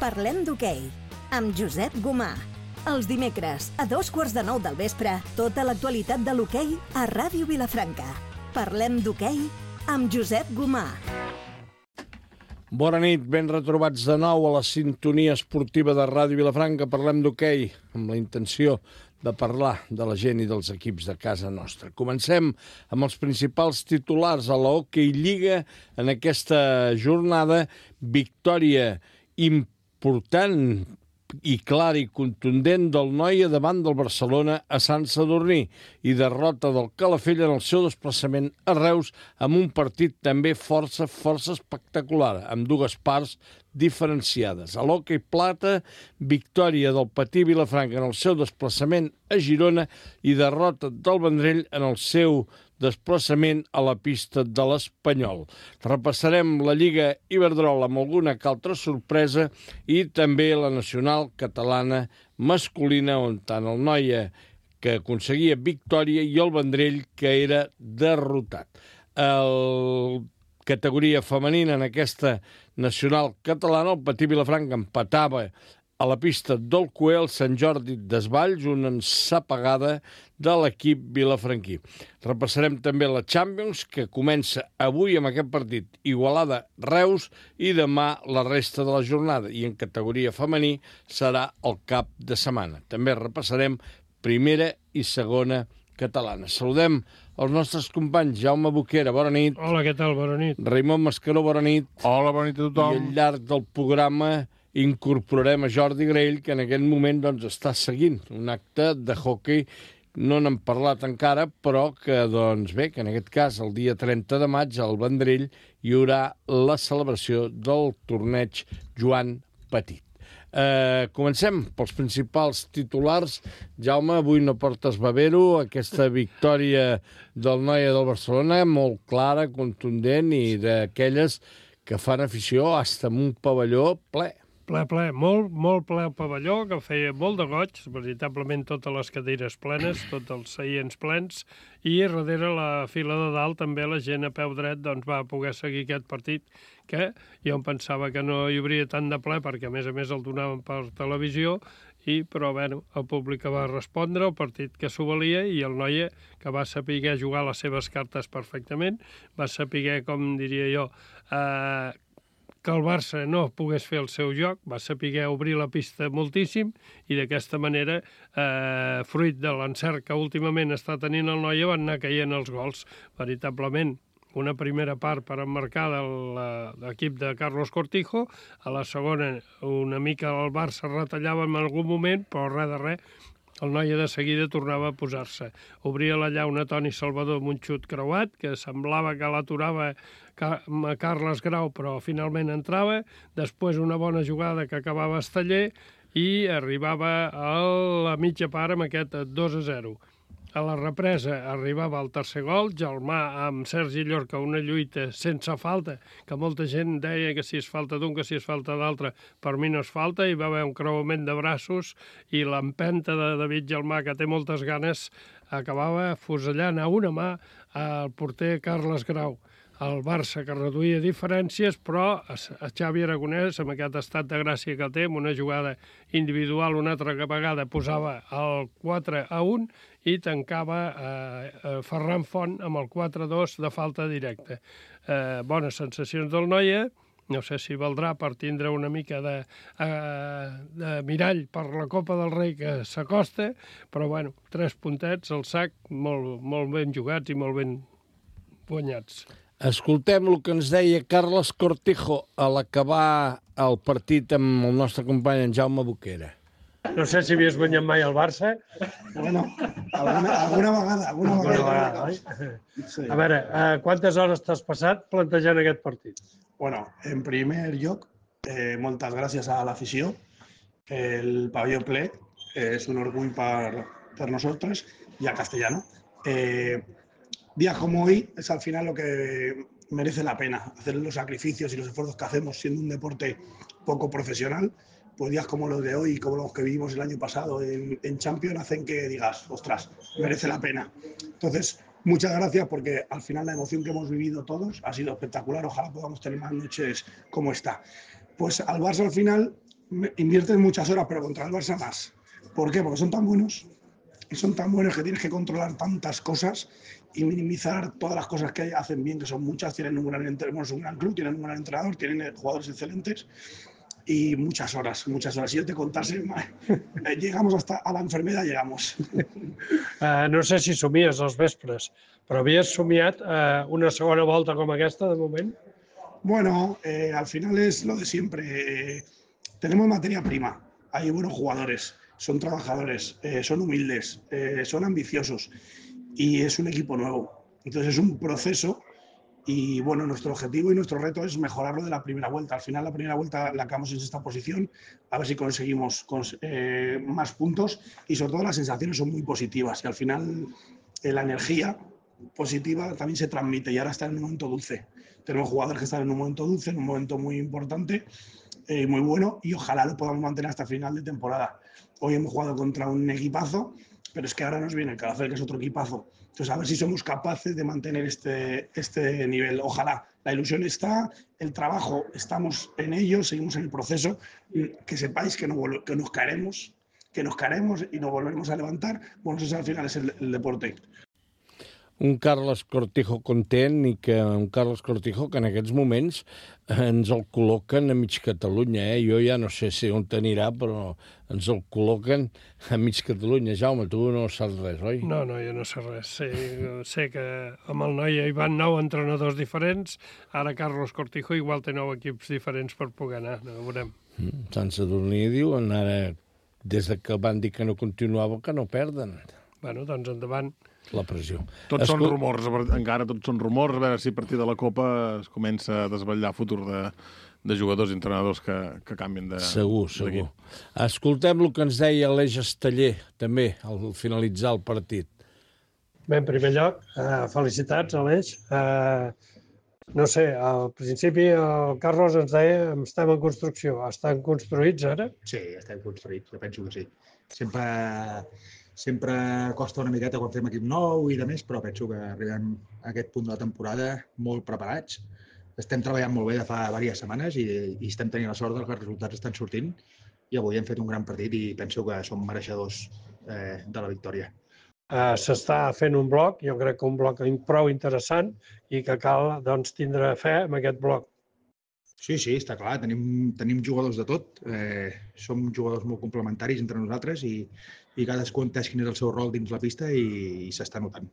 Parlem d'hoquei, amb Josep Gomà. Els dimecres, a 8:45 del vespre, tota l'actualitat de l'hoquei a Ràdio Vilafranca. Parlem d'hoquei amb Josep Gomà. Bona nit, ben retrobats de nou a la sintonia esportiva de Ràdio Vilafranca. Parlem d'hoquei amb la intenció de parlar de la gent i dels equips de casa nostra. Comencem amb els principals titulars a la Hockey Lliga en aquesta jornada. Victòria important i clara i contundent del Noia davant del Barcelona a Sant Sadurní i derrota del Calafell en el seu desplaçament a Reus amb un partit també força espectacular, amb dues parts diferenciades. A l'hoquei plata, victòria del Patí Vilafranca en el seu desplaçament a Girona i derrota del Vendrell en el seu desplaçament a la pista de l'Espanyol. Repassarem la Lliga Iberdrola amb alguna que altra sorpresa i també la nacional catalana masculina, on tant el Noia, que aconseguia victòria, i el Vendrell, que era derrotat. Categoria femenina en aquesta nacional catalana, el Patí Vilafranca empatava a la pista del Coel Sant Jordi Desvalls, una ensapegada de l'equip vilafranquí. Repassarem també la Champions, que comença avui amb aquest partit Igualada-Reus i demà la resta de la jornada. I en categoria femení serà el cap de setmana. També repassarem primera i segona catalana. Saludem els nostres companys. Jaume Boquera, bona nit. Hola, què tal? Bona nit. Raimon Mascaró, bona nit. Hola, bona nit a tothom. I al llarg del programa incorporarem a Jordi Grell, que en aquest moment està seguint un acte de hoquei. No n'hem parlat encara, però que, que en aquest cas, el dia 30 de maig, al Vendrell, hi haurà la celebració del torneig Joan Petit. Comencem pels principals titulars. Jaume, avui no portes bavero. Aquesta victòria del Noia del Barcelona, molt clara, contundent i d'aquelles que fan afició fins amb un pavelló ple. Ple, molt ple el pavelló, que feia molt de goig, veritablement totes les cadires plenes, tots els seients plens, i darrere la fila de dalt també la gent a peu dret va poder seguir aquest partit, que jo em pensava que no hi hauria tant de ple, perquè a més el donaven per televisió, però el públic va respondre, el partit que s'ho valia, i el Noia, que va saber jugar les seves cartes perfectament, va saber, com diria jo, que el Barça no pogués fer el seu joc, va saber obrir la pista moltíssim i d'aquesta manera, fruit de l'encert que últimament està tenint el Noia, van anar caient els gols. Veritablement, una primera part per emmarcar de l'equip de Carlos Cortijo, a la segona una mica el Barça retallava en algun moment, però res de res, el Noia de seguida tornava a posar-se. Obria la llauna Toni Salvador amb un xut creuat, que semblava que l'aturava Carles Grau, però finalment entrava. Després una bona jugada que acabava Esteller i arribava a la mitja part amb aquest 2-0. A la represa arribava el tercer gol, Gelmà amb Sergi Llorca, una lluita sense falta, que molta gent deia que si és falta d'un, que si és falta d'altre, per mi no és falta, hi va haver un creuament de braços i l'empenta de David Gelmà, que té moltes ganes, acabava fusellant a una mà al porter Carles Grau. El Barça, que reduïa diferències, però a Xavi Aragonès, amb aquest estat de gràcia que té, amb una jugada individual una altra vegada posava el 4-1 i tancava Ferran Font amb el 4-2 de falta directa. Bones sensacions del Noia, no sé si valdrà per tindre una mica de mirall per la Copa del Rei que s'acosta, però 3 puntets al sac, molt ben jugats i molt ben guanyats. Escoltem el que ens deia Carles Cortijo a l'acabar el partit amb el nostre company en Jaume Boquera. No sé si havies guanyat mai el Barça. Bueno, alguna vegada. Sí. A veure, quantes hores t'has passat plantejant aquest partit? Bueno, en primer lloc, moltes gràcies a l'afició. El pavelló ple és un orgull per nosaltres i a Castellano. Días como hoy es al final lo que merece la pena, hacer los sacrificios y los esfuerzos que hacemos siendo un deporte poco profesional, pues días como los de hoy, como los que vivimos el año pasado en Champions, hacen que digas, ostras, merece la pena. Entonces, muchas gracias porque al final la emoción que hemos vivido todos ha sido espectacular, ojalá podamos tener más noches como esta. Pues al Barça al final invierten muchas horas, pero contra el Barça más. ¿Por qué? Porque son tan buenos. Y son tan buenos que tienes que controlar tantas cosas y minimizar todas las cosas que hacen bien, que son muchas. Tienen un gran club, tienen un gran entrenador, tienen jugadores excelentes y muchas horas. Si yo te contase, llegamos hasta a la enfermedad, llegamos. No sé si somies els vespres, però havies somiat una segona volta com aquesta, de moment? Bueno, al final es lo de siempre. Tenemos materia prima, hay buenos jugadores, son trabajadores, son humildes, son ambiciosos y es un equipo nuevo. Entonces es un proceso y bueno, nuestro objetivo y nuestro reto es mejorarlo de la primera vuelta. Al final la primera vuelta la acabamos en esta posición, a ver si conseguimos más puntos y sobre todo las sensaciones son muy positivas y al final la energía positiva también se transmite y ahora está en un momento dulce. Tenemos jugadores que están en un momento dulce, en un momento muy importante, muy bueno y ojalá lo podamos mantener hasta final de temporada. Hoy hemos jugado contra un equipazo, pero es que ahora nos viene el Calafell, que es otro equipazo. Entonces, a ver si somos capaces de mantener este nivel. Ojalá. La ilusión está, el trabajo, estamos en ello, seguimos en el proceso. Que sepáis que nos caeremos y nos volveremos a levantar. Bueno, eso al final es el deporte. Un Carles Cortijo content i que un Carles Cortijo que en aquests moments ens el col·loquen a mig Catalunya. Jo ja no sé si on anirà, però ens el col·loquen a mig Catalunya. Jaume, tu no saps res, oi? No, jo no sé res. Sé que amb el noi hi van 9 entrenadors diferents, ara Carles Cortijo igual té 9 equips diferents per poder anar, no ho veurem. Sant Sadurní diuen ara, des que van dir que no continuava, que no perden. Bueno, doncs endavant. La pressió. Tots són rumors, encara tots són rumors, a veure si a partir de la Copa es comença a desvetllar futur de jugadors i entrenadors que canvien de... Segur. Escoltem el que ens deia Aleix Esteller, també, al finalitzar el partit. Bé, en primer lloc, felicitats, Aleix. No sé, al principi el Carlos ens deia que estem en construcció. Estan construïts ara? Sí, estem construïts, jo penso que sí. Sempre costa una miqueta quan fem equip nou i de més, però penso que arribem a aquest punt de la temporada molt preparats. Estem treballant molt bé de fa diverses setmanes i estem tenint la sort que els resultats estan sortint i avui hem fet un gran partit i penso que som mereixedors de la victòria. S'està fent un bloc, jo crec que un bloc prou interessant i que cal doncs, tindre fe en aquest bloc. Sí, està clar, tenim jugadors de tot, som jugadors molt complementaris entre nosaltres i cadascú entès quin és el seu rol dins la pista i s'està notant.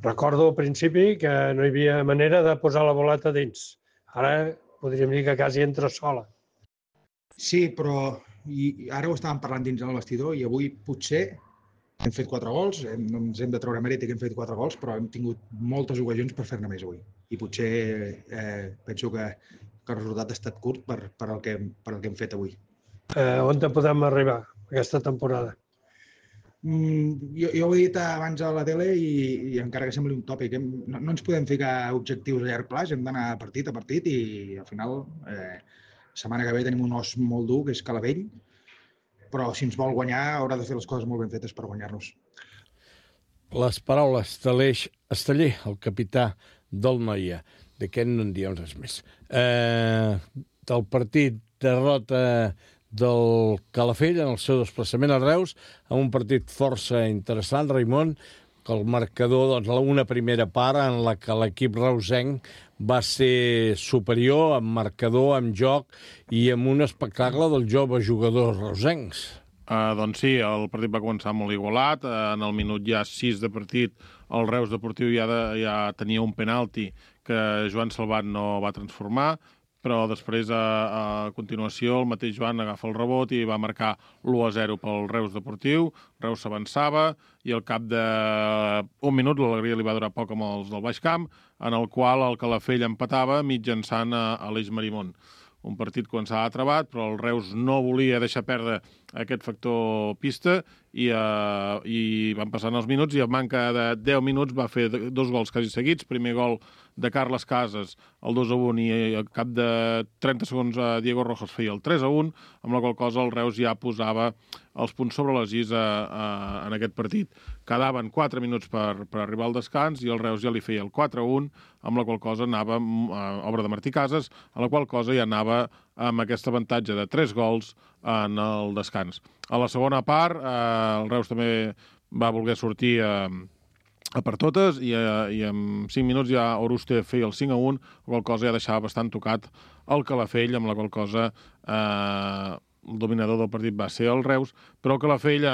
Recordo al principi que no hi havia manera de posar la boleta dins. Ara podríem dir que quasi entra sola. Sí, però ara ho estàvem parlant dins del vestidor i avui potser hem fet 4 gols, no ens hem de treure mèrit que hem fet 4 gols, però hem tingut moltes ocasions per fer-ne més avui. I potser penso que el resultat ha estat curt per el que hem fet avui. On podem arribar aquesta temporada? Jo ho he dit abans a la tele i encara que sembli un tòpic, no ens podem ficar objectius a llarg plaç, hem d'anar partit a partit i al final, setmana que ve tenim un os molt dur, que és Calafell, però si ens vol guanyar haurà de fer les coses molt ben fetes per guanyar-nos. Les paraules d'Aleix Esteller, el capità del Noia. D'aquest no en diem res més. Del partit derrota del Calafell en el seu desplaçament a Reus, en un partit força interessant, Raimon, que el marcador, doncs, una primera part en la que l'equip reusenc va ser superior amb marcador, amb joc i amb un espectacle dels joves jugadors reusencs. Doncs sí, el partit va començar molt igualat. En el minut ja 6 de partit el Reus Deportiu ja tenia un penalti que Joan Salvat no va transformar, però després, a continuació, el mateix Joan agafa el rebot i va marcar l'1-0 pel Reus Deportiu. Reus s'avançava i al cap d'un minut l'alegria li va durar poc amb els del Baix Camp, en el qual el Calafell empatava mitjançant Aleix Marimón. Un partit començava atrabat, però el Reus no volia deixar perdre aquest factor pista i van passant els minuts i a manca de 10 minuts va fer 2 gols quasi seguits. Primer gol de Carles Casas, el 2-1, i al cap de 30 segons Diego Rojas feia el 3-1, amb la qual cosa el Reus ja posava els punts sobre les is en aquest partit. Quedaven 4 minuts per arribar al descans i el Reus ja li feia el 4-1, amb la qual cosa anava obra de Martí Casas, a la qual cosa ja anava amb aquest avantatge de 3 gols en el descans. A la segona part, el Reus també va voler sortir a per totes i en 5 minuts ja Oruste feia el 5-1, la qual cosa ja deixava bastant tocat el Calafell, amb la qual cosa el dominador del partit va ser el Reus, però el Calafell,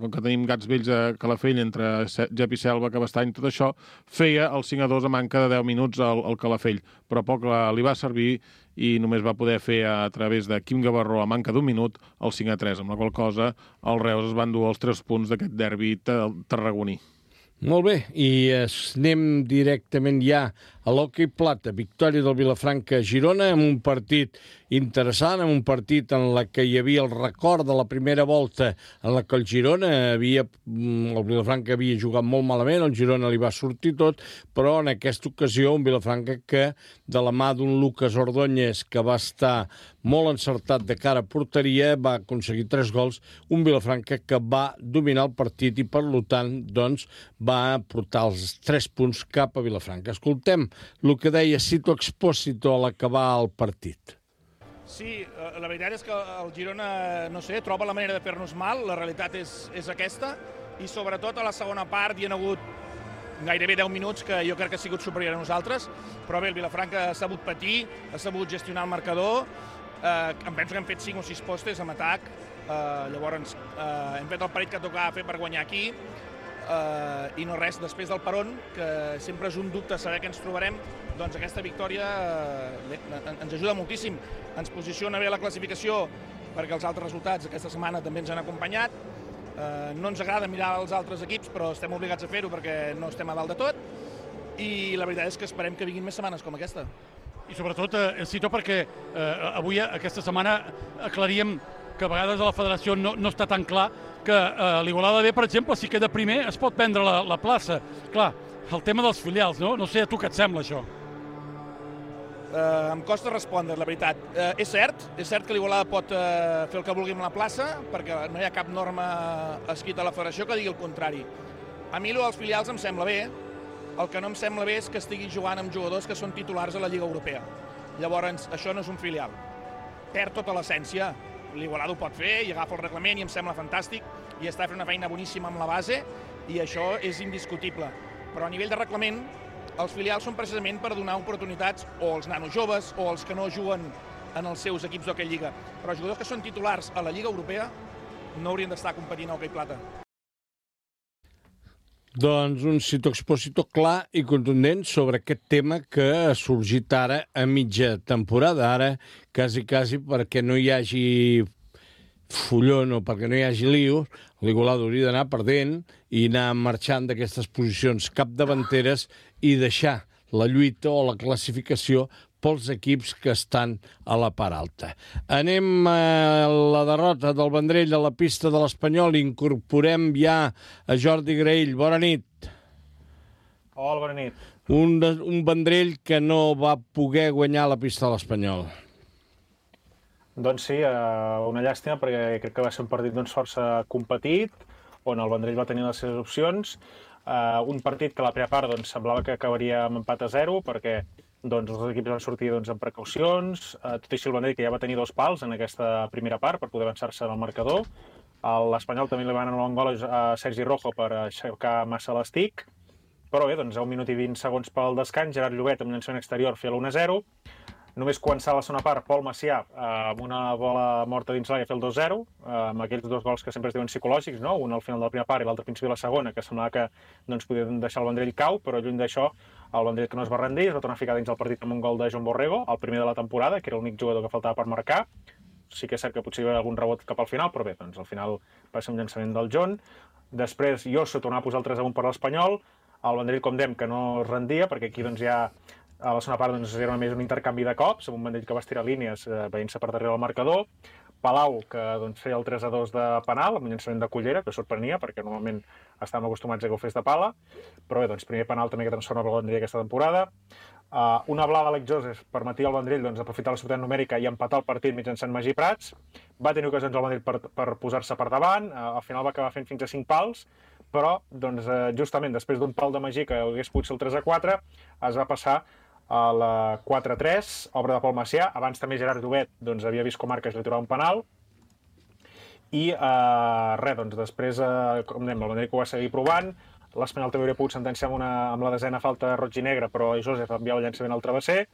com que tenim gats vells a Calafell entre Gep i Selva, Cabestany, tot això, feia el 5-2 a manca de 10 minuts al Calafell, però poc li va servir i només va poder fer a través de Quim Gavarró a manca d'un minut el 5-3, amb la qual cosa el Reus es van dur els 3 punts d'aquest derbi tarragoní. Molt bé, i anem directament ja a l'hoquei plata. Victòria del Vilafranca a Girona amb un partit interessant, amb un partit en la que hi havia el record de la primera volta en la que el Vilafranca havia jugat molt malament, el Girona li va sortir tot, però en aquesta ocasió un Vilafranca que de la mà d'un Lucas Ordóñez que va estar molt encertat de cara a porteria, va aconseguir 3 gols, un Vilafranca que va dominar el partit i per tant doncs, va portar els 3 punts cap a Vilafranca. Escoltem el que deia Sito Expósito a l'acabar el partit. Sí, la veritat és que el Girona, no sé, troba la manera de fer-nos mal, la realitat és aquesta, i sobretot a la segona part hi ha hagut gairebé 10 minuts que jo crec que ha sigut superior a nosaltres, però bé, el Vilafranca ha sabut patir, ha sabut gestionar el marcador, em penso que hem fet 5 o 6 postes amb atac, llavors hem fet el parell que tocava fer per guanyar aquí, i no res, després del peron, que sempre és un dubte saber què ens trobarem, doncs aquesta victòria ens ajuda moltíssim, ens posiciona bé a la classificació perquè els altres resultats aquesta setmana també ens han acompanyat. No ens agrada mirar els altres equips, però estem obligats a fer-ho perquè no estem a dalt de tot, i la veritat és que esperem que vinguin més setmanes com aquesta. I sobretot, Cito, perquè avui, aquesta setmana, aclaríem que a vegades a la federació no està tan clar que l'Igualada B, per exemple, si queda primer, es pot prendre la plaça. Clar, el tema dels filials, no? No sé a tu què et sembla, això. Em costa respondre, la veritat. És cert que l'Igualada pot fer el que vulgui amb la plaça, perquè no hi ha cap norma escrita a la federació que digui el contrari. A mi, dels filials em sembla bé. El que no em sembla bé és que estigui jugant amb jugadors que són titulars a la Lliga Europea. Llavors, això no és un filial. Perd tota l'essència. L'Igualada ho pot fer i agafa el reglament i em sembla fantàstic i està fent una feina boníssima amb la base i això és indiscutible. Però a nivell de reglament, els filials són precisament per donar oportunitats o als nanos joves o als que no juguen en els seus equips d'hoquei lliga. Però els jugadors que són titulars a la Lliga Europea no haurien d'estar competint a hoquei plata. Doncs un Sito Expósito clar i contundent sobre aquest tema que ha sorgit ara a mitja temporada, ara quasi perquè no hi hagi follon o perquè no hi hagi lío, l'Igualada hauria d'anar perdent i anar marxant d'aquestes posicions capdavanteres i deixar la lluita o la classificació pels equips que estan a la part alta. Anem a la derrota del Vendrell a la pista de l'Espanyol. Incorporem ja a Jordi Graell. Bona nit. Hola, bona nit. Un Vendrell que no va poder guanyar la pista de l'Espanyol. Doncs sí, una llàstima perquè crec que va ser un partit força competit, on el Vendrell va tenir les seves opcions. Un partit que a la primera part semblava que acabaria amb empat a 0 perquè els dos equips van sortir amb precaucions, tot i així el Vendrell que ja va tenir 2 pals en aquesta primera part per poder avançar-se en el marcador. L'Espanyol també li va anar un gol a Sergi Rojo per aixecar massa l'estic, però bé, a 1 minut i 20 segons pel descans, Gerard Llobet amb un llançament exterior feia l'1-0. Només començar la segona part, Pol Macià amb una bola morta dins l'àrea fer el 2-0, amb aquells 2 gols que sempre es diuen psicològics, no? Un al final de la primera part i l'altre al principi de la segona, que semblava que podien deixar el Vendrell cau, però lluny d'això el Vendrell que no es va rendir, es va tornar a ficar dins el partit amb un gol de Joan Borrego, el primer de la temporada, que era l'únic jugador que faltava per marcar. Sí que és cert que potser hi va haver algun rebot cap al final, però bé, al final va ser un llançament del John. Després Josso tornava a posar el 3-1 per l'Espanyol, el Vendrell, com dèiem, que no es rendia, perquè aquí ja a la segona part era més un intercanvi de cops, amb un Vendrell que va estirar línies veient-se per darrere del marcador, Palau, que feia el 3-2 de penal, amb un llançament de Cullera, que sorprenia, perquè normalment estàvem acostumats a que ho fes de pala, però bé, primer penal també que transforma el Vendrell aquesta temporada. Una blada d'Àlex Joseph permetia al Vendrell aprofitar la superioritat numèrica i empatar el partit mitjançant Magí Prats. Va tenir ocasions al Vendrell per posar-se per davant, al final va acabar fent fins a 5 pals, però justament després d'un pal de Magí que hagués pogut ser el 3-4, es va passar a la 4-3, obra de Pol Macià. Abans també Gerard Llobet doncs, havia vist com Arques li aturava un penal. I doncs, després, com dèiem, el Vendrell que ho va seguir provant. L'Espanyol també hauria pogut sentenciar amb la desena falta roig i negra, però Josep enviava el llançament al travesser.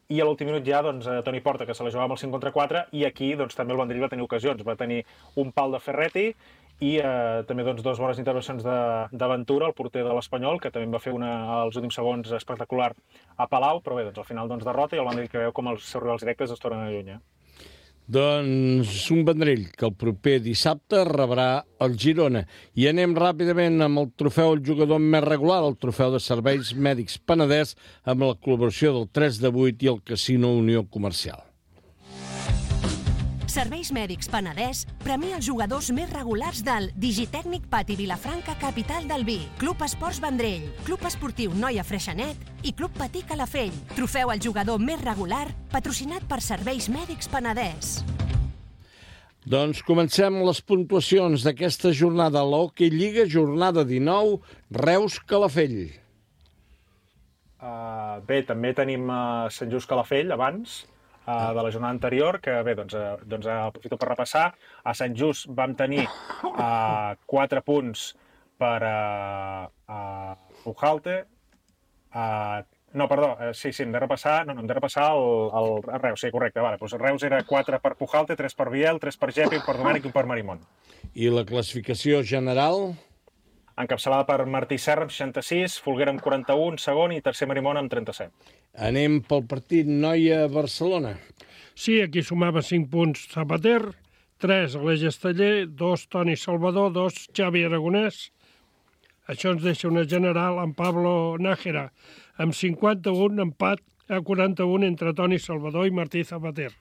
I a l'últim minut ja, doncs, Toni Porta, que se la jugava amb el 5 contra 4, i aquí doncs, també el Vendrell va tenir ocasions. Va tenir un pal de Ferretti i també doncs, 2 bones intervencions d'Aventura, el porter de l'Espanyol, que també va fer als últims segons espectacular a Palau, però bé, doncs, al final doncs, derrota i el Vendrell que veu com els seus rivals directes es tornen a allunyar. Doncs un Vendrell que el proper dissabte rebrà el Girona. I anem ràpidament amb el trofeu al jugador més regular, el trofeu de Serveis Mèdics Penedès, amb la col·laboració del 3 de 8 i el Casino Unió Comercial. Serveis Mèdics Penedès premia els jugadors més regulars del Digitècnic Pati Vilafranca, capital del vi, Club Esports Vendrell, Club Esportiu Noia Freixenet i Club Patí Calafell. Trofeu al jugador més regular, patrocinat per Serveis Mèdics Penedès. Doncs comencem les puntuacions d'aquesta jornada a l'Hockey Lliga, jornada 19, Reus-Calafell. Bé, també tenim Sant Just Calafell abans, de la jornada anterior, que bé, doncs aprofito per repassar. A Sant Just vam tenir 4 punts per Pujalte. No, perdó, sí, hem de repassar el Reus, sí, correcte. Vale, doncs Reus era 4 per Pujalte, 3 per Biel, 3 per Gepi, 1 per Domènech i 1 per Marimón. I la classificació general? Encapçalada per Martí Serra amb 66, Folguera amb 41, segon i tercer Marimón amb 37. Anem pel partit Noia-Barcelona. Sí, aquí sumava 5 punts Zapater, 3 Aleix Esteller, 2 Toni Salvador, 2 Xavi Aragonès. Això ens deixa una general amb Pablo Nájera, amb 51, empat a 41 entre Toni Salvador i Martí Zapater.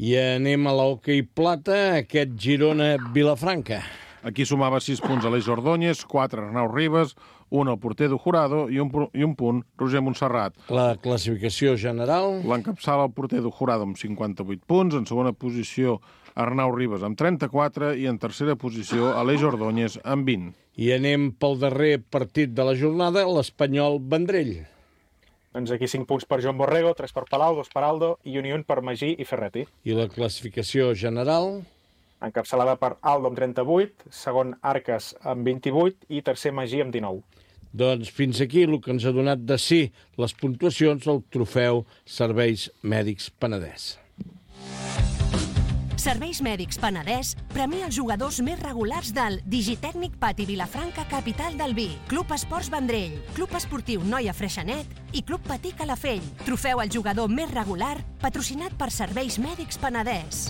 I anem a l'Hockey Plata, aquest Girona-Vilafranca. Aquí sumava 6 punts Aleix Ordóñez, 4 Arnau Ribas, 1 el porter de Jurado i un punt Roger Montserrat. La classificació general? L'encapçala el porter de Jurado amb 58 punts, en segona posició Arnau Ribas amb 34 i en tercera posició Aleix Ordóñez amb 20. I anem pel darrer partit de la jornada, l'Espanyol Vendrell. Doncs aquí 5 punts per Joan Borrego, 3 per Palau, 2 per Aldo i un per Magí i Ferretti. I la classificació general? Encapçalada per Aldo amb 38, segon Arques amb 28 i tercer Magí amb 19. Doncs fins aquí el que ens ha donat de sí les puntuacions del trofeu Serveis Mèdics Penedès. Serveis Mèdics Penedès premia els jugadors més regulars del Digitècnic Pati Vilafranca, capital del vi, Club Esports Vendrell, Club Esportiu Noia Freixenet i Club Patí Calafell. Trofeu al jugador més regular, patrocinat per Serveis Mèdics Penedès.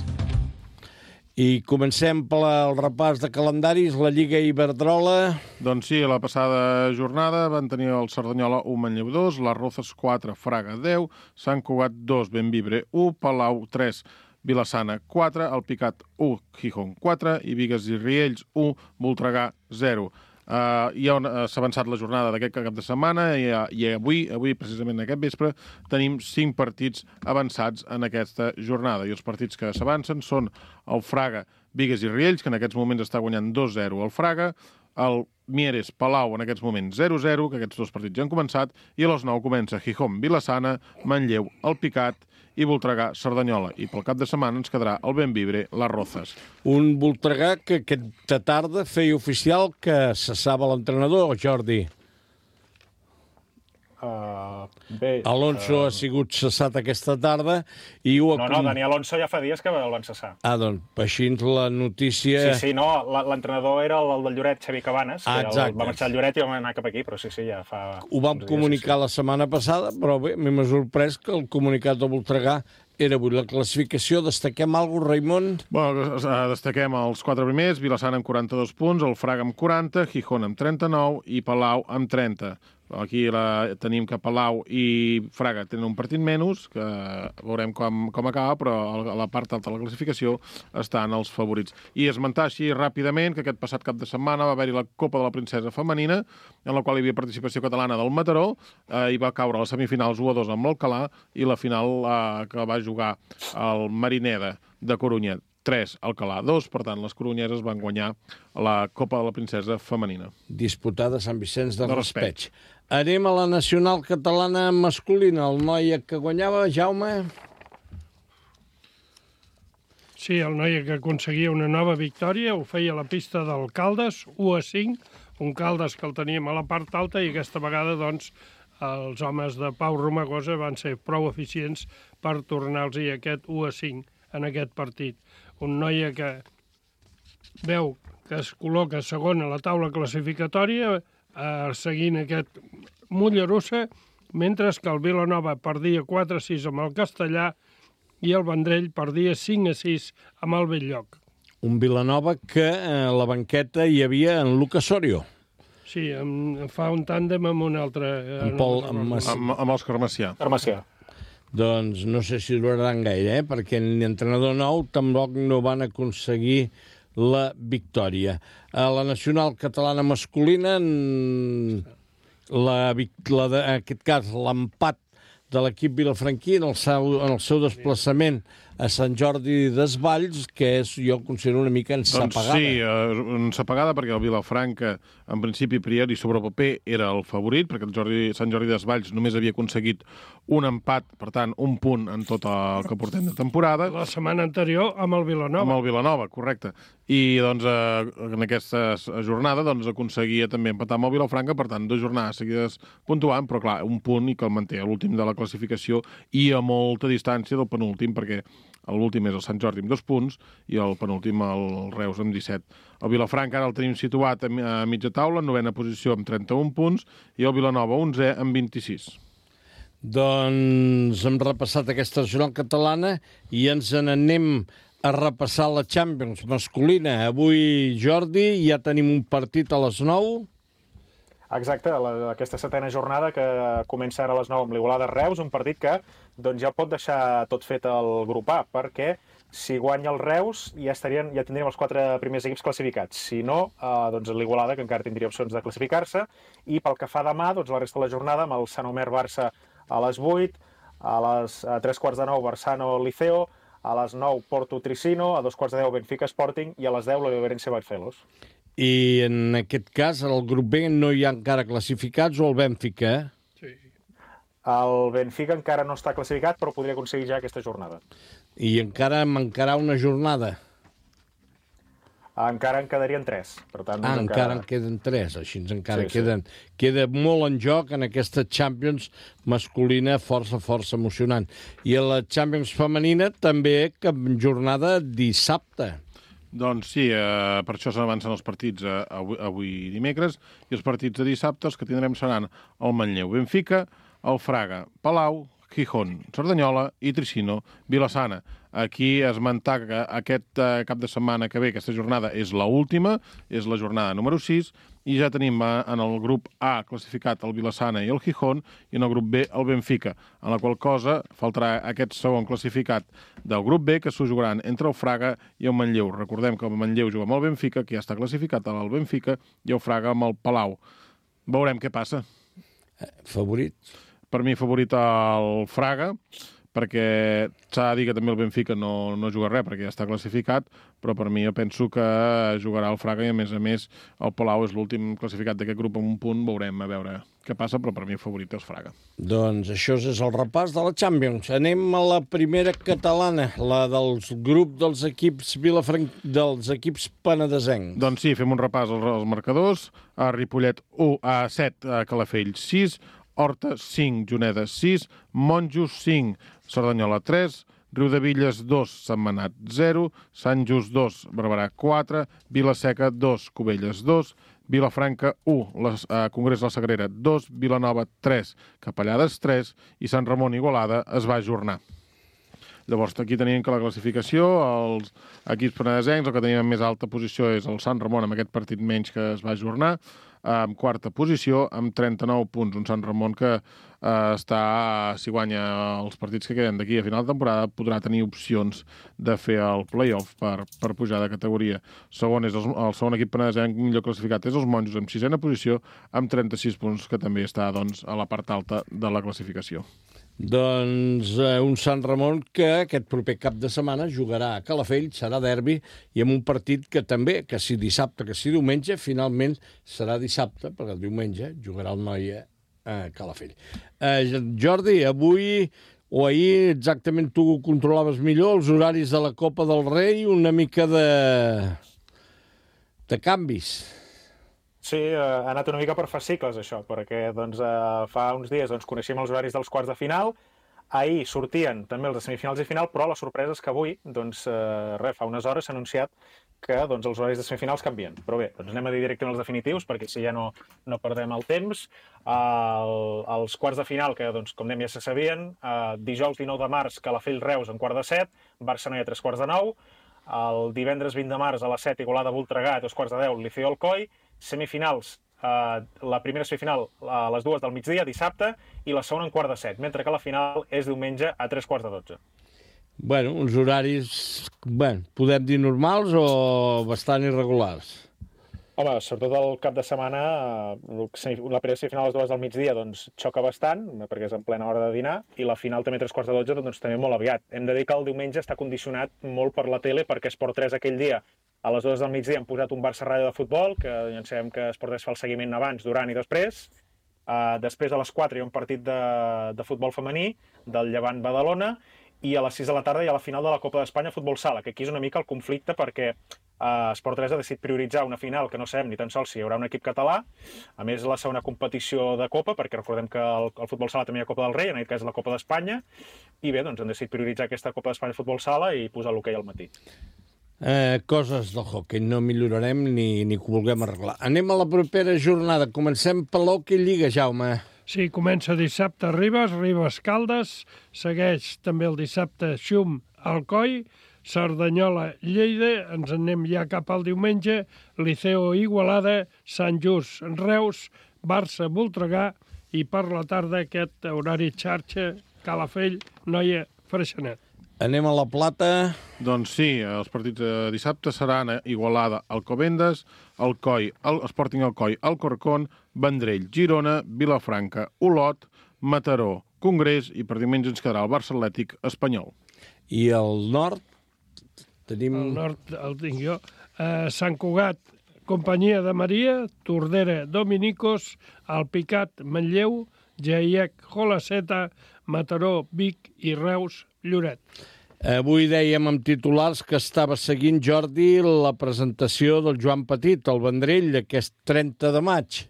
I comencem pel repàs de calendaris, la Lliga Iberdrola. Doncs sí, la passada jornada van tenir el Cerdanyola 1, Manlleu 2, les Rozas 4, Fraga 10, Sant Cugat 2, Bemvibre 1, Palau 3, Vilassana 4, Alpicat 1, Gijón 4 i Bigues i Riells 1, Voltregà 0. Ja s'ha avançat la jornada d'aquest cap de setmana i avui, precisament aquest vespre, tenim 5 partits avançats en aquesta jornada. I els partits que s'avancen són el Fraga, Bigues i Riells, que en aquests moments està guanyant 2-0 el Fraga, el Mieres Palau en aquests moments 0-0, que aquests 2 partits ja han començat, i a les 9 comença Gijón, Vilassana, Manlleu, Alpicat i Voltregà, Cerdanyola. I pel cap de setmana ens quedarà el Bemvibre, les Rozas. Un Voltregà que aquesta tarda feia oficial que cessava l'entrenador, Jordi. Bé, Alonso ha sigut cessat aquesta tarda i ho... No, Dani Alonso ja fa dies que el van cessar. Doncs així la notícia... Sí, no, l'entrenador era el del Lloret, Xavi Cabanes, que va marxar al Lloret i va anar cap aquí, però sí, ja fa... Ho vam comunicar la setmana passada, però bé, m'ha sorprès que el comunicat de Voltregà era avui. La classificació, destaquem alguna cosa, Raimon? Bueno, destaquem els 4 primers, Vilassana amb 42 punts, el Fraga amb 40, Gijón amb 39 i Palau amb 30. Aquí tenim que Palau i Fraga tenen un partit menys, que veurem com acaba, però a la part alta de la classificació estan els favorits. I esmentar així ràpidament que aquest passat cap de setmana va haver-hi la Copa de la Princesa Femenina, en la qual hi havia participació catalana del Mataró, i va caure a les semifinals 1-2 amb l'Alcalà, i la final que va jugar el Marineda de Corunya 3, Alcalà 2. Per tant, les coronyeses van guanyar la Copa de la Princesa femenina. Disputada a Sant Vicenç de Raspeig. Anem a la nacional catalana masculina. El noi que guanyava, Jaume... Sí, el noi que aconseguia una nova victòria ho feia a la pista del Caldes, 1-5, un Caldes que el teníem a la part alta i aquesta vegada, doncs, els homes de Pau Romagosa van ser prou eficients per tornar-los aquest 1-5 en aquest partit. Un noi que veu que es col·loca segon a la taula classificatòria, seguint aquest Mollerussa, mentre que el Vilanova perdia 4-6 amb el Castellà i el Vendrell perdia 5-6 amb el Belllloc. Un Vilanova que a la banqueta hi havia en Lucas Sorio. Sí, fa un tàndem amb un altre... Amb els Carmacià. Doncs no sé si duraran gaire, perquè l'entrenador nou tampoc no van aconseguir la victòria. A la nacional catalana masculina, en aquest cas, l'empat de l'equip vilafranquí en el seu desplaçament a Sant Jordi Desvalls, que és, jo considero una mica ensapagada. Doncs sí, ensapagada, perquè el Vilafranca, en principi, priori, sobre el paper, era el favorit, perquè el Sant Jordi Desvalls només havia aconseguit un empat, per tant, un punt en tot el que portem de temporada. La setmana anterior amb el Vilanova. Amb el Vilanova, correcte. I doncs, en aquesta jornada doncs, aconseguia també empatar amb el Vilafranca, per tant, 2 jornades seguides puntuant, però clar, un punt i que el manté a l'últim de la classificació i a molta distància del penúltim, perquè l'últim és el Sant Jordi amb 2 punts i el penúltim el Reus amb 17. El Vilafranca ara el tenim situat a mitja taula, en 9a posició amb 31 punts i el Vilanova 11è amb 26. Doncs hem repassat aquesta nacional catalana i ens n'anem a repassar la Champions masculina. Avui, Jordi, ja tenim un partit a les 9. Exacte, aquesta 7a jornada que comença ara a les 9 amb l'Igualada Reus, un partit que doncs, ja pot deixar tot fet el grup A, perquè si guanya el Reus ja tindríem els 4 primers equips classificats. Si no, doncs l'Igualada, que encara tindria opcions de classificar-se, i pel que fa demà, doncs, la resta de la jornada amb el Sant Omer-Barça a les 8, a les 3:15 Barsano-Liceo, a les 9 Porto-Tricino, a 2:15 Benfica-Sporting i a les 10 l'Overense-Barcelos. I en aquest cas, al grup B no hi ha encara classificats o el Benfica? Sí. El Benfica encara no està classificat, però podria aconseguir ja aquesta jornada. I encara mancarà una jornada? Encara en quedarien 3. Per tant, encara en queden 3, així encara queden. Queda molt en joc en aquesta Champions masculina força emocionant. I a la Champions femenina també cap jornada dissabte. Doncs sí, per això s'avancen els partits avui dimecres, i els partits de dissabte els que tindrem seran el Manlleu Benfica, el Fraga Palau, Gijón Cerdanyola i Tricino Vilassana. Aquí esmentar que aquest cap de setmana que ve, aquesta jornada, és l'última, és la jornada número 6, i ja tenim en el grup A classificat el Vilassana i el Gijón, i en el grup B el Benfica, en la qual cosa faltarà aquest segon classificat del grup B, que s'ho jugaran entre el Fraga i el Manlleu. Recordem que el Manlleu juga amb el Benfica, que ja està classificat al Benfica, i el Fraga amb el Palau. Veurem què passa. Favorit? Per mi favorit el Fraga, perquè s'ha de dir que també el Benfica no juga res, perquè ja està classificat, però per mi jo penso que jugarà el Fraga i, a més, el Palau és l'últim classificat d'aquest grup amb un punt. Veurem a veure què passa, però per mi el favorit és Fraga. Doncs això és el repàs de la Champions. Anem a la primera catalana, la dels grup dels equips dels equips penedesencs. Doncs sí, fem un repàs als marcadors. A Ripollet 1, a 7, a Calafell 6, Horta 5, Juneda 6, Monjos 5, Cerdanyola 3, Riudevilles 2, Sentmenat 0, Sant Just 2, Barberà 4, Vilaseca 2, Cubelles 2, Vilafranca 1, Congrés de la Sagrera 2, Vilanova 3, Capellades 3 i Sant Ramon Igualada es va ajornar. Llavors, aquí tenim que la classificació, els equips penedesencs, el que tenim en més alta posició és el Sant Ramon, amb aquest partit menys que es va ajornar, en quarta posició, amb 39 punts. Un Sant Ramon que si guanya els partits que queden d'aquí a final de temporada, podrà tenir opcions de fer el play-off per pujar de categoria. Segon és el segon equip penedesenc millor classificat és els Monjos, amb 6a posició, amb 36 punts, que també està doncs, a la part alta de la classificació. Doncs un Sant Ramon que aquest proper cap de setmana jugarà a Calafell, serà derbi, i amb un partit que també, que si dissabte, que si diumenge, finalment serà dissabte, perquè el diumenge jugarà el Noia a Calafell. Jordi, avui o ahir exactament tu controlaves millor els horaris de la Copa del Rei, una mica de canvis. Sí, ha anat una mica per fascicles, això, perquè fa uns dies coneixíem els horaris dels quarts de final, ahir sortien també els de semifinals i final, però la sorpresa és que avui, fa unes hores s'ha anunciat que els horaris de semifinals canvien. Però bé, anem a dir directament els definitius, perquè si ja no perdem el temps. Els quarts de final, que com dèiem ja se sabien, dijous 19 de març, Calafell-Reus en quart de 7, Barça-Noia a 3:45, el divendres 20 de març a les 7, Igualada-Voltregà a 2:10, Liceo-Alcoi, semifinals, la primera semifinal a les 2 del migdia, dissabte, i la segona en quart de 7, mentre que la final és diumenge a 3:15. Bueno, uns horaris, podem dir normals o bastant irregulars? Home, sobretot el cap de setmana, la primera semifinal a les 2 del migdia xoca bastant, perquè és en plena hora de dinar, i la final també a 3:15, també molt aviat. Hem de dir que el diumenge està condicionat molt per la tele, perquè Esport 3 aquell dia a les 2 del migdia han posat un Barça-Ràdio de futbol, que ja en sabem que Esport 3 fa el seguiment abans, durant i després. Després a les 4 hi ha un partit de futbol femení del Llevant-Badalona, i a les 6 de la tarda hi ha la final de la Copa d'Espanya Futbol Sala, que aquí és una mica el conflicte perquè Esport 3 ha decidit prioritzar una final que no sabem ni tan sols si hi haurà un equip català, a més la segona competició de Copa, perquè recordem que el Futbol Sala també hi ha Copa del Rei, en aquest cas la Copa d'Espanya, i bé, han decidit prioritzar aquesta Copa d'Espanya Futbol Sala i posar l'hoquei al matí. Coses del hoquei, no millorarem ni que ho vulguem arreglar. Anem a la propera jornada. Comencem per l'hoquei Lliga, Jaume. Sí, comença dissabte Ribes-Caldes, segueix també el dissabte Xum-Alcoi, Cerdanyola-Lleida, ens anem ja cap al diumenge, Liceo-Igualada, Sant Just-Reus, Barça-Voltregà, i per la tarda aquest horari xarxa, Calafell-Noia-Freixenet. Anem a la Plata. Doncs sí, els partits de dissabte seran a Igualada, Alcobendas, Alcoi, Sporting Alcoi, Alcorcón, Vendrell, Girona, Vilafranca, Olot, Mataró, Congrés, i per diumenge ens quedarà el Barça Atlètic Espanyol. I al nord tenim... Al nord el tinc jo. Sant Cugat, Companyia de Maria, Tordera, Dominicos, Alpicat, Manlleu, Jaiec, Jolaceta, Mataró, Vic i Reus, Lloret. Avui dèiem amb titulars que estava seguint, Jordi, la presentació del Joan Petit, al Vendrell, aquest 30 de maig.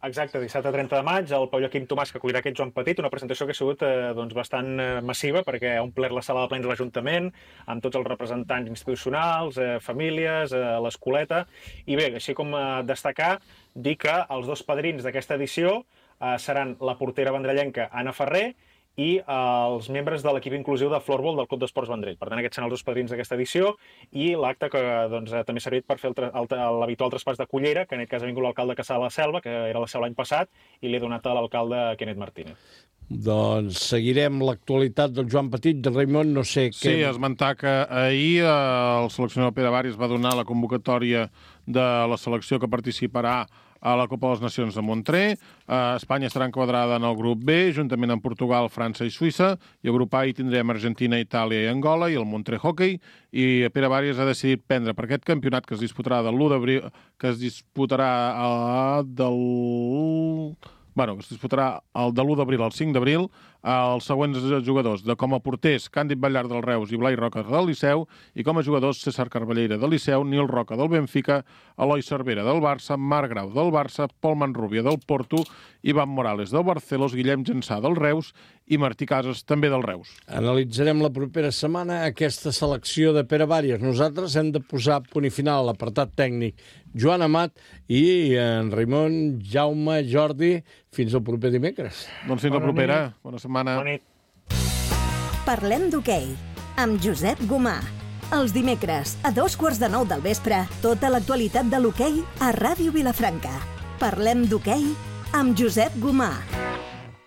Exacte, dissabte 30 de maig, el Pau Joaquim Tomàs, que acollirà aquest Joan Petit, una presentació que ha sigut bastant massiva, perquè ha omplert la sala de plens de l'Ajuntament, amb tots els representants institucionals, famílies, l'escoleta, i bé, així com destacar, dir que els dos padrins d'aquesta edició seran la portera vendrellenca Anna Ferrer i els membres de l'equip inclusiu de Floorball del Club d'Esports Vendrell. Per tant, aquests seran els dos padrins d'aquesta edició, i l'acte que també ha servit per fer l'habitual traspàs de cullera, que en aquest cas ha vingut l'alcalde Cassà de la Selva, que era la seu l'any passat, i l'he donat a l'alcalde Kenneth Martínez. Doncs seguirem l'actualitat del Joan Petit, de Raimon, no sé què... Sí, esmentar que ahir el seleccionador Pere Varis va donar la convocatòria de la selecció que participarà a la Copa de les Nacions de Montré. Espanya estarà enquadrada en el grup B, juntament amb Portugal, França i Suïssa, i el grup A hi tindrem Argentina, Itàlia i Angola, i el Montré Hockey, i Pere Varis ha decidit prendre per aquest campionat que es disputarà de l'1 d'abril, que es disputarà de l'1 d'abril al 5 d'abril, els següents jugadors, com a porters, Càndid Ballar del Reus i Blai Roca del Liceu, i com a jugadors, César Carballera del Liceu, Nil Roca del Benfica, Eloi Cervera del Barça, Marc Grau del Barça, Pol Manrubia del Porto, Ivan Morales del Barcelos, Guillem Gensà del Reus i Martí Casas també del Reus. Analitzarem la propera setmana aquesta selecció de Pere Varis. Nosaltres hem de posar punt i final a l'apartat tècnic. Joan Amat i en Raimon, Jaume, Jordi, fins al proper dimecres. Doncs fins la propera. Bona setmana. Bona nit. Parlem d'hoquei, amb Josep Gomà. Els dimecres, a 2:15 del vespre, tota l'actualitat de l'hoquei a Ràdio Vilafranca. Parlem d'hoquei amb Josep Gomà.